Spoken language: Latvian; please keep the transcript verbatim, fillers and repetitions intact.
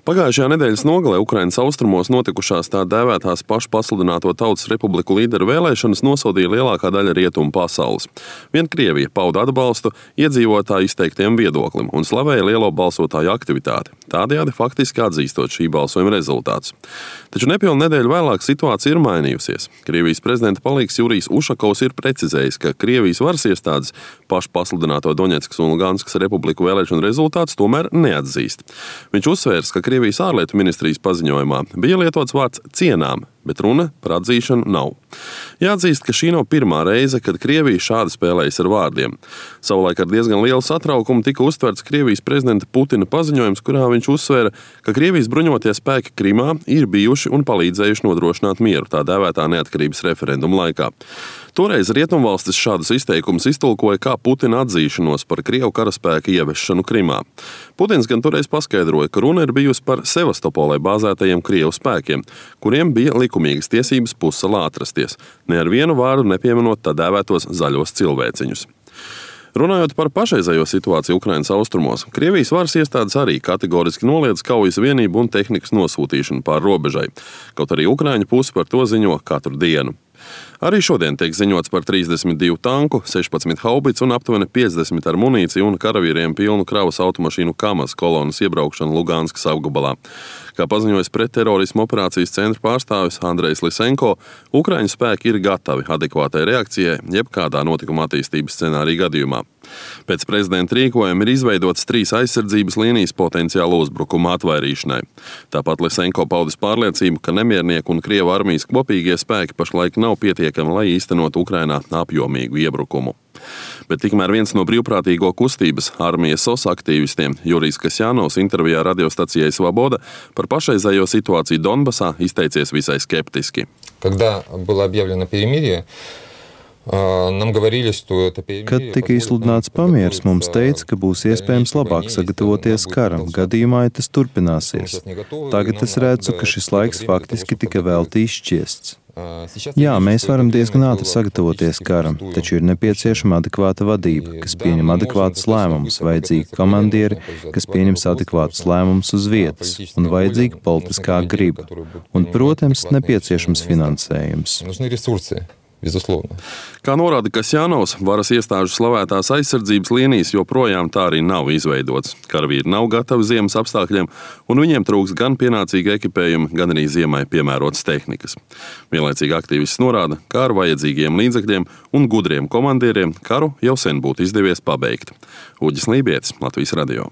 Pagājušajā nedēļas nogalē Ukrainas austrumos notikušās tā dēvētās pašpasludināto Tautas Republiku līderu vēlēšanas nosodīja lielākā daļa rietumu pasaules. Vien Krievija pauda atbalstu iedzīvotāju izteiktiem viedoklim un slavēja lielo balsotāju aktivitāti, tādējādi faktiski atzīstot šī balsojuma rezultātus. Taču nepilnu nedēļu vēlāk situācija ir mainījusies. Krievijas prezidenta palīgs Jurijs Ušakovs ir precizējis, ka Krievijas varas iestādes pašpasludināto Doņetskas un Luganskas republiku vēlēšanu rezultātus tomēr neatzīst. Viņš uzsvērs, ka Krievijas ārlietu ministrijas paziņojumā bija lietots vārds cienām, bet runa par atzīšanu nav. Jāatzīst, ka šī nav pirmā reize, kad Krievija šādi spēlējas ar vārdiem. Savulaik ar diezgan lielu satraukumu tika uztverts Krievijas prezidenta Putina paziņojums, kurā viņš uzsvēra, ka Krievijas bruņotie spēki Krimā ir bijuši un palīdzējuši nodrošināt mieru tā dēvētā neatkarības referenduma laikā. Toreiz rietumvalstis šādus izteikumus iztulkoja kā Putina atzīšanos par Krievu karaspēka ievešanu Krimā. Putins gan toreiz paskaidroja, ka runa ir bijusi par Sevastopolē bāzētajiem Krievu spēkiem, kuriem bija likumīgas tiesības pussalā atrasties, ne ar vienu vārdu nepieminot tā dēvētos zaļos cilvēciņus. Runājot par pašreizējo situāciju Ukrainas austrumos, Krievijas varas iestādes arī kategoriski noliedz kaujas vienību un tehnikas nosūtīšanu pār robežai, kaut arī Ukraiņu puse par to ziņo katru dienu. Arī šodien tiek ziņots par trīsdesmit divu tanku, sešpadsmit haubicu un aptuveni piecdesmit ar munīciju un karavīriem pilnu kravas automašīnu Kamaz kolonas iebraukšanu Luganskas apgabalā. Kā paziņojas pretterorismu operācijas centra pārstāvis Andrejs Lisenko, Ukraiņu spēki ir gatavi adekvātai reakcijai jebkādā notikuma attīstības scenārija gadījumā. Pēc prezidenta rīkojuma ir izveidotas trīs aizsardzības līnijas potenciāla uzbrukuma atvairīšanai. Tāpat Lisenko paudis pārliecību, ka nemiernieku un Krievu armijas kopīgie spēki pašlaik nav pietiekami, lai īstenot Ukrainā apjomīgu iebrukumu. Bet tikmēr viens no brīvprātīgo kustības armijas S O S aktīvistiem, Jurijs Kasjanovs, intervijā radiostacijai Svaboda par pašreizējo situāciju Donbasā izteicies visai skeptiski. Когда было объявлено перемирие, Kad tika izsludināts pamieris, mums teica, ka būs iespējams labāk sagatavoties karam, gadījumā, ja tas turpināsies. Tagad es redzu, ka šis laiks faktiski tika velti izšķiests. Jā, mēs varam diezgan ātri sagatavoties karam, taču ir nepieciešama adekvāta vadība, kas pieņem adekvātus lēmumus, vajadzīgi komandieri, kas pieņems adekvātus lēmumus uz vietas, un vajadzīga politiskā griba. Un, protams, nepieciešams finansējums. Безусловно. Kā norāda Kasjanovs, varas iestāžu slavētās aizsardzības līnijas joprojām tā arī nav izveidotas. Karavīri nav gatavi ziemas apstākļiem, un viņiem trūks gan pienācīga ekipējuma, gan arī ziemai piemērotas tehnikas. Vienlaicīgi aktīvists norāda, ka ar vajadzīgiem līdzekļiem un gudriem komandieriem karu jau sen būtu izdevies pabeigt. Uģis Lībietis, Latvijas radio.